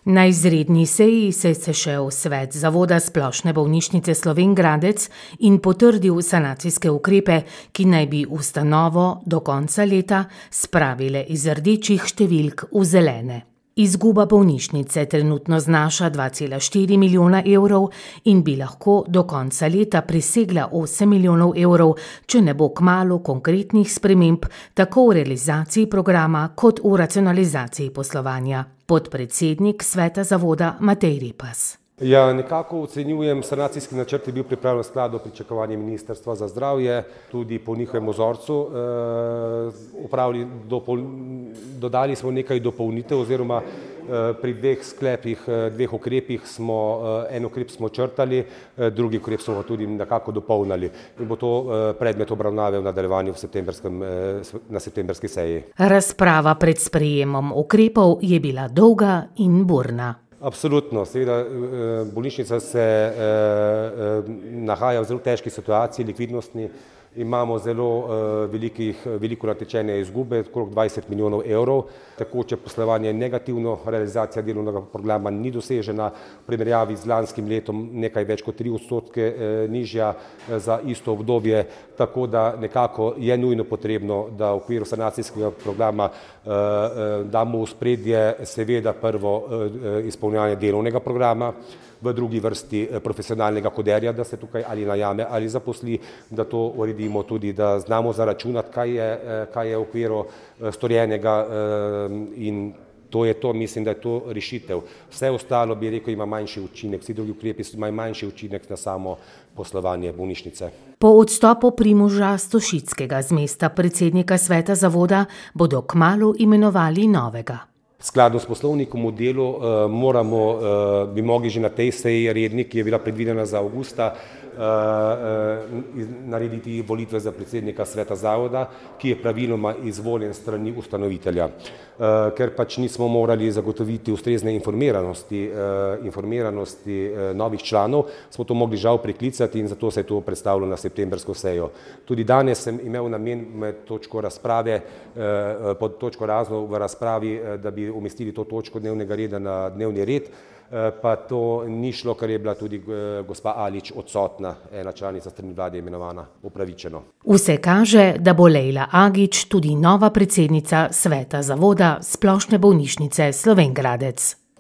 Na izredni seji se je sešel svet Zavoda Splošne bolnišnice Slovenj Gradec in potrdil sanacijske ukrepe, ki naj bi ustanovo do konca leta spravile iz rdečih številk v zelene. Izguba bolnišnice trenutno znaša 2,4 milijona evrov in bi lahko do konca leta presegla 8 milijonov evrov, če ne bo kmalu konkretnih sprememb tako v realizaciji programa kot v racionalizaciji poslovanja. Podpredsednik sveta zavoda Matej Repas. Ja, nekako ocenjujem, sanacijski načrt je bil pripravljen v skladu s pričakovanji Ministrstva za zdravje, tudi po njihovem vzorcu. Dodali smo nekaj dopolnitev oziroma pri dveh ukrepih en ukrep smo črtali, drugi ukrep smo tudi nekako dopolnili in bo to predmet obravnave v nadaljevanju na septembrski seji. Razprava pred sprejemom ukrepov je bila dolga in burna. Absolutno, seveda bolnišnica se nahaja v zelo težki situaciji, likvidnostni. Imamo zelo veliko natečene izgube, okrog 20 milijonov evrov. Tekoče poslovanje je negativno, realizacija delovnega programa ni dosežena, v primerjavi z lanskim letom nekaj več kot 3% nižja za isto obdobje, tako da nekako je nujno potrebno, da v okviru sanacijskega programa damo v ospredje seveda prvo izpolnjevanje delovnega programa, v drugi vrsti profesionalnega koderja, da se tukaj ali najame ali zaposli, da to uredimo tudi, da znamo zaračunati, kaj je v okviru storjenega in to je to, mislim, da je to rešitev. Vse ostalo, bi rekel, ima manjši učinek, vsi drugi ukrepi imajo manjši učinek na samo poslovanje bolnišnice. Po odstopu Primoža Stošickega z mesta predsednika sveta zavoda bodo kmalu imenovali novega. Skladno s poslovnikom v delu bi mogli že na tej seji redni, ki je bila predvidena za avgusta, narediti volitve za predsednika sveta zavoda, ki je praviloma izvoljen s strani ustanovitelja. Ker pač nismo morali zagotoviti ustrezne informiranosti novih članov, smo to mogli žal preklicati in zato se je to predstavilo na septembrsko sejo. Tudi danes sem imel namen med točko razprave, pod točko razno v razpravi, da bi umestili to točko dnevnega reda na dnevni red, pa to ni šlo, ker je bila tudi gospa Alič odsotna, ena članica strani vlade imenovana, upravičeno. Vse kaže, da bo Lejla Agič tudi nova predsednica sveta zavoda Splošne bolnišnice Slovenj Gradec.